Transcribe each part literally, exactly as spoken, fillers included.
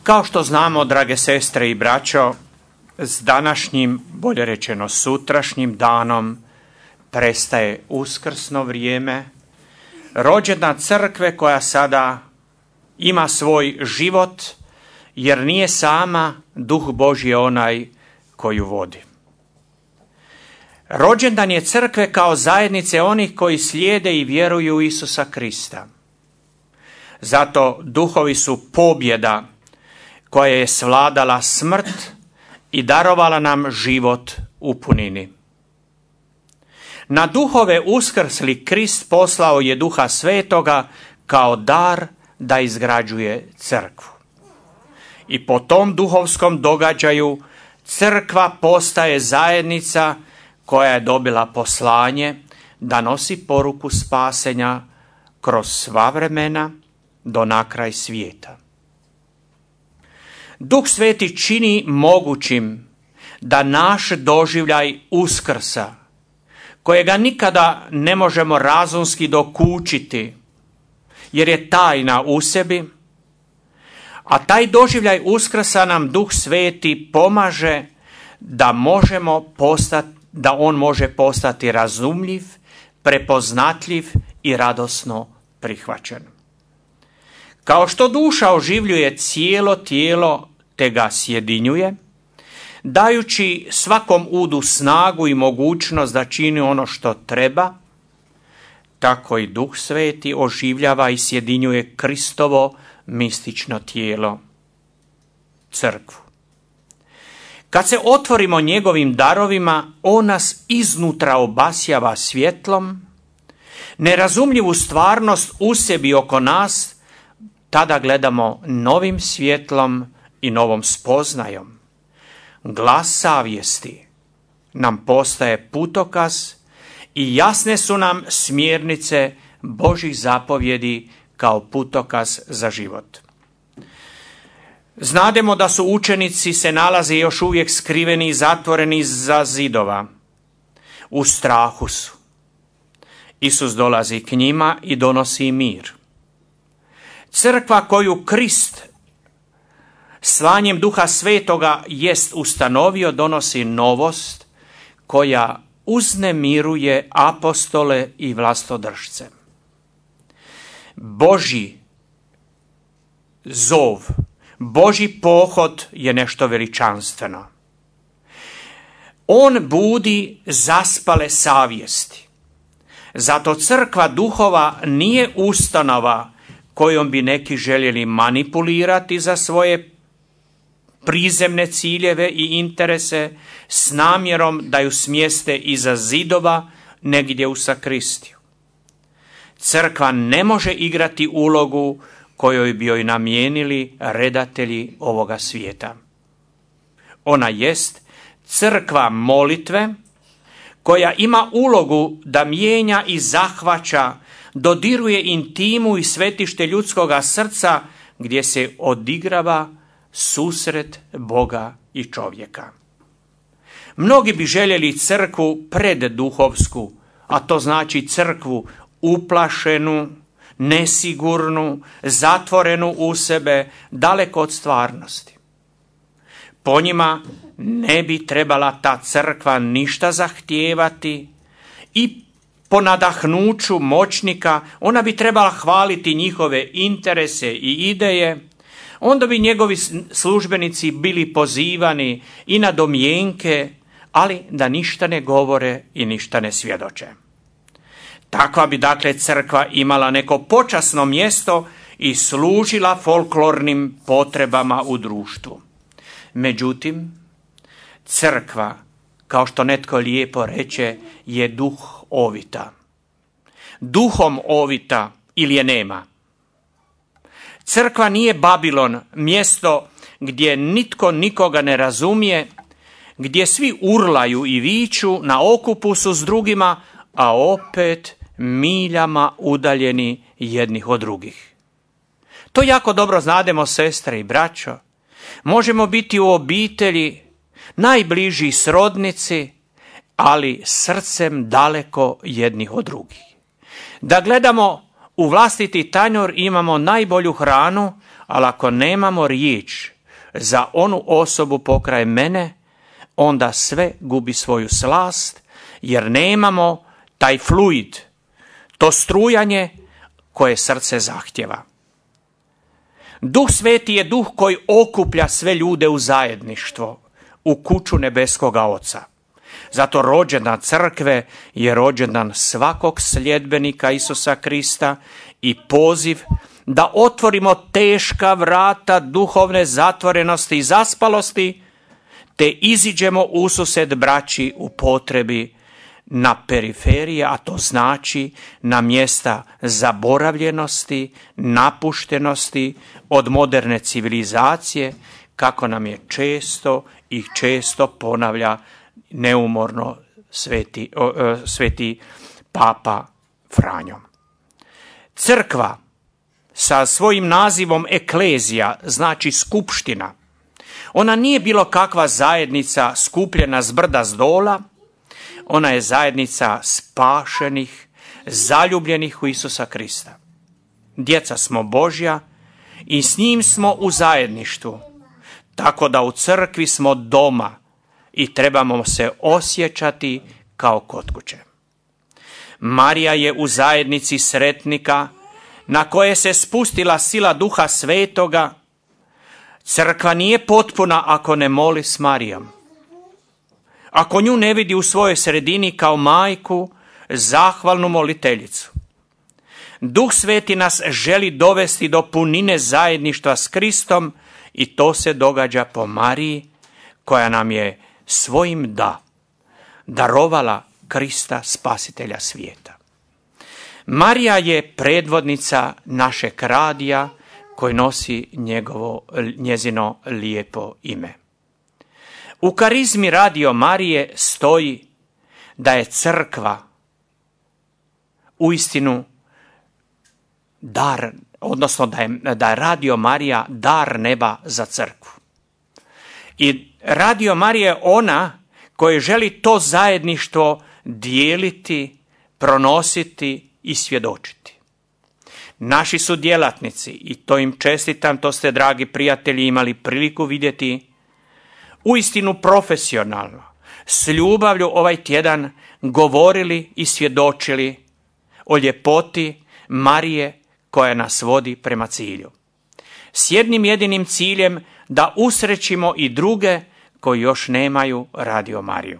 Kao što znamo, drage sestre i braćo, s današnjim, bolje rečeno sutrašnjim danom, prestaje uskrsno vrijeme, rođena crkve koja sada ima svoj život, jer nije sama, Duh Božji je onaj koju vodi. Rođendan je crkve kao zajednice onih koji slijede i vjeruju u Isusa Krista. Zato duhovi su pobjeda koja je svladala smrt i darovala nam život u punini. Na duhove uskrsli Krist poslao je Duha Svetoga kao dar da izgrađuje crkvu. I po tom duhovskom događaju crkva postaje zajednica koja je dobila poslanje da nosi poruku spasenja kroz sva vremena do na kraj svijeta. Duh Sveti čini mogućim da naš doživljaj uskrsa, kojega nikada ne možemo razumski dokučiti, jer je tajna u sebi, a taj doživljaj uskrsa nam Duh Sveti pomaže da možemo postati, da on može postati razumljiv, prepoznatljiv i radosno prihvaćen. Kao što duša oživljuje cijelo tijelo te ga sjedinjuje, dajući svakom udu snagu i mogućnost da čini ono što treba, tako i Duh Sveti oživljava i sjedinjuje Kristovo mistično tijelo, crkvu. Kad se otvorimo njegovim darovima, on nas iznutra obasjava svjetlom, nerazumljivu stvarnost u sebi oko nas tada gledamo novim svjetlom i novom spoznajom. Glas savjesti nam postaje putokaz i jasne su nam smjernice Božjih zapovjedi kao putokaz za život. Znademo da su učenici se nalaze još uvijek skriveni i zatvoreni za zidova. U strahu su. Isus dolazi k njima i donosi mir. Crkva koju Krist slanjem Duha Svetoga jest ustanovio donosi novost koja uznemiruje apostole i vlastodržce. Božji zov, Božji pohod je nešto veličanstveno. On budi zaspale savjesti. Zato crkva duhova nije ustanova kojom bi neki željeli manipulirati za svoje prizemne ciljeve i interese s namjerom da ju smjeste iza zidova negdje u sakristiju. Crkva ne može igrati ulogu kojoj bi joj namijenili redatelji ovoga svijeta. Ona jest crkva molitve koja ima ulogu da mijenja i zahvaća, dodiruje intimu i svetište ljudskoga srca gdje se odigrava susret Boga i čovjeka. Mnogi bi željeli crkvu predduhovsku, a to znači crkvu uplašenu, nesigurnu, zatvorenu u sebe, daleko od stvarnosti. Po njima ne bi trebala ta crkva ništa zahtijevati i po nadahnuću moćnika ona bi trebala hvaliti njihove interese i ideje, onda bi njegovi službenici bili pozivani i na domjenke, ali da ništa ne govore i ništa ne svjedoče. Takva bi dakle crkva imala neko počasno mjesto i služila folklornim potrebama u društvu. Međutim, crkva, kao što netko lijepo reče, je duh ovita. Duhom ovita ili je nema. Crkva nije Babilon, mjesto gdje nitko nikoga ne razumije, gdje svi urlaju i viču, na okupu su s drugima, a opet miljama udaljeni jednih od drugih. To jako dobro znademo, sestre i braćo. Možemo biti u obitelji najbliži srodnici, ali srcem daleko jednih od drugih. Da gledamo u vlastiti tanjur imamo najbolju hranu, ali ako nemamo riječ, za onu osobu pokraj mene, onda sve gubi svoju slast, jer nemamo taj fluid, to strujanje koje srce zahtjeva. Duh Sveti je duh koji okuplja sve ljude u zajedništvo, u kuću nebeskoga Oca. Zato rođendan crkve je rođendan svakog sljedbenika Isusa Krista i poziv da otvorimo teška vrata duhovne zatvorenosti i zaspalosti, te iziđemo usused braći u potrebi na periferije, a to znači na mjesta zaboravljenosti, napuštenosti od moderne civilizacije, kako nam je često i često ponavlja neumorno sveti, o, o, sveti Papa Franjo. Crkva sa svojim nazivom eklezija, znači skupština, ona nije bilo kakva zajednica skupljena s brda s dola, ona je zajednica spašenih, zaljubljenih u Isusa Krista. Djeca smo Božja i s njim smo u zajedništvu, tako da u crkvi smo doma i trebamo se osjećati kao kod kuće. Marija je u zajednici sretnika na koje se spustila sila Duha Svetoga. Crkva nije potpuna ako ne moli s Marijom. Ako nju ne vidi u svojoj sredini kao majku, zahvalnu moliteljicu. Duh Sveti nas želi dovesti do punine zajedništva s Kristom i to se događa po Mariji, koja nam je svojim da darovala Krista, spasitelja svijeta. Marija je predvodnica našeg radija koji nosi njegovo, njezino lijepo ime. U karizmi Radio Marije stoji da je crkva uistinu dar, odnosno da je, da je Radio Marija dar neba za crkvu. I Radio Marija je ona koja želi to zajedništvo dijeliti, pronositi i svjedočiti. Naši su djelatnici, i to im čestitam, to ste, dragi prijatelji, imali priliku vidjeti, uistinu profesionalno, s ljubavlju ovaj tjedan govorili i svjedočili o ljepoti Marije koja nas vodi prema cilju. S jednim jedinim ciljem da usrećimo i druge koji još nemaju Radio Mariju.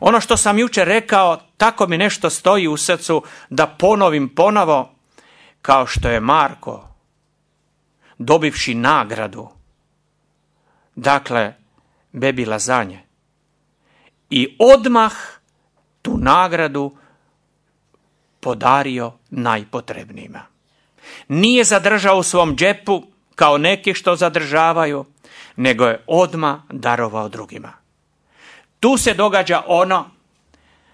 Ono što sam jučer rekao, tako mi nešto stoji u srcu da ponovim ponovo, kao što je Marko, dobivši nagradu, dakle, bebi Lazanje, i odmah tu nagradu podario najpotrebnijima. Nije zadržao u svom džepu kao neki što zadržavaju, nego je odmah darovao drugima. Tu se događa ono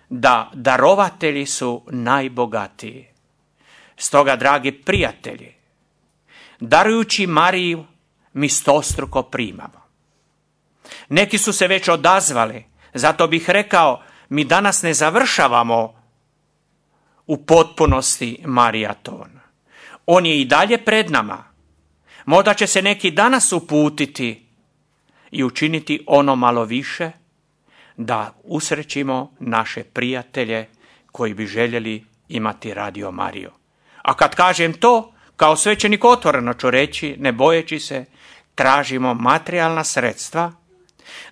da darovatelji su najbogatiji. Stoga, dragi prijatelji, darujući Mariju, mi stostruko primamo. Neki su se već odazvali, zato bih rekao, mi danas ne završavamo u potpunosti Marijaton. On je i dalje pred nama. Možda će se neki danas uputiti i učiniti ono malo više, da usrećimo naše prijatelje koji bi željeli imati Radio Mariju. A kad kažem to, kao svećenik otvoreno ću reći, ne bojeći se, tražimo materijalna sredstva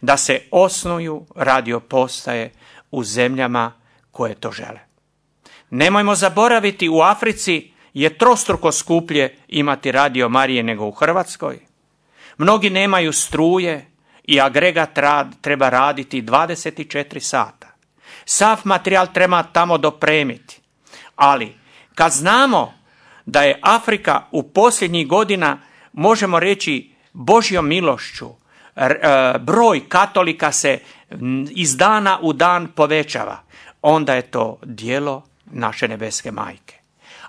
da se osnuju radio postaje u zemljama koje to žele. Nemojmo zaboraviti, u Africi je trostruko skuplje imati Radio Marije nego u Hrvatskoj. Mnogi nemaju struje i agregat rad treba raditi dvadeset četiri sata. Sav materijal treba tamo dopremiti. Ali kad znamo da je Afrika u posljednjih godina, možemo reći, Božjom milošću, broj katolika se iz dana u dan povećava, onda je to djelo naše nebeske majke.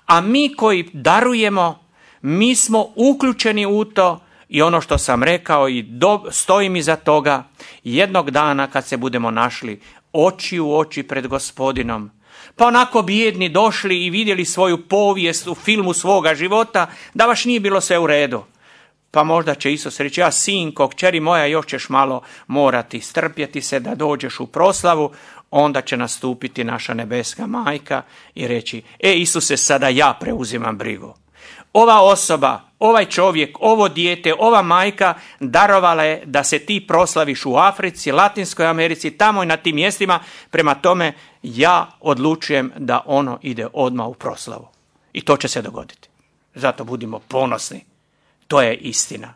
A mi koji darujemo, mi smo uključeni u to i ono što sam rekao i do, stojim iza toga, jednog dana kad se budemo našli oči u oči pred Gospodinom, pa onako bijedni došli i vidjeli svoju povijest u filmu svoga života, da baš nije bilo sve u redu. Pa možda će Isus reći, ja sinko, kćeri moja, još ćeš malo morati strpjeti se da dođeš u proslavu. Onda će nastupiti naša nebeska majka i reći, e Isuse, sada ja preuzimam brigu. Ova osoba, ovaj čovjek, ovo dijete, ova majka darovala je da se ti proslaviš u Africi, Latinskoj Americi, tamo i na tim mjestima. Prema tome ja odlučujem da ono ide odmah u proslavu. I to će se dogoditi. Zato budimo ponosni. To je istina.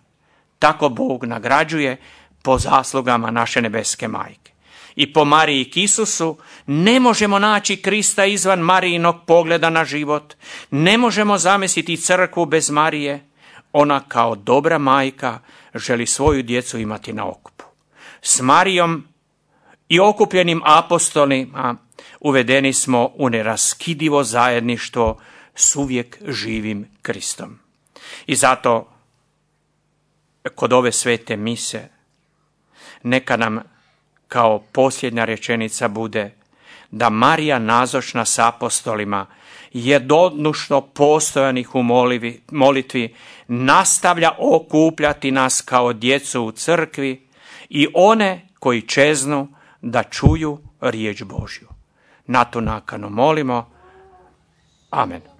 Tako Bog nagrađuje po zaslugama naše nebeske majke. I po Mariji k Isusu ne možemo naći Krista izvan Marijinog pogleda na život. Ne možemo zamisliti crkvu bez Marije. Ona kao dobra majka želi svoju djecu imati na okupu. S Marijom i okupljenim apostolima uvedeni smo u neraskidivo zajedništvo s uvijek živim Kristom. I zato kod ove svete mise neka nam kao posljednja rečenica bude da Marija nazočna s apostolima jednodušno postojanih u molivi, molitvi nastavlja okupljati nas kao djecu u crkvi i one koji čeznu da čuju riječ Božju. Na tu nakanu molimo. Amen.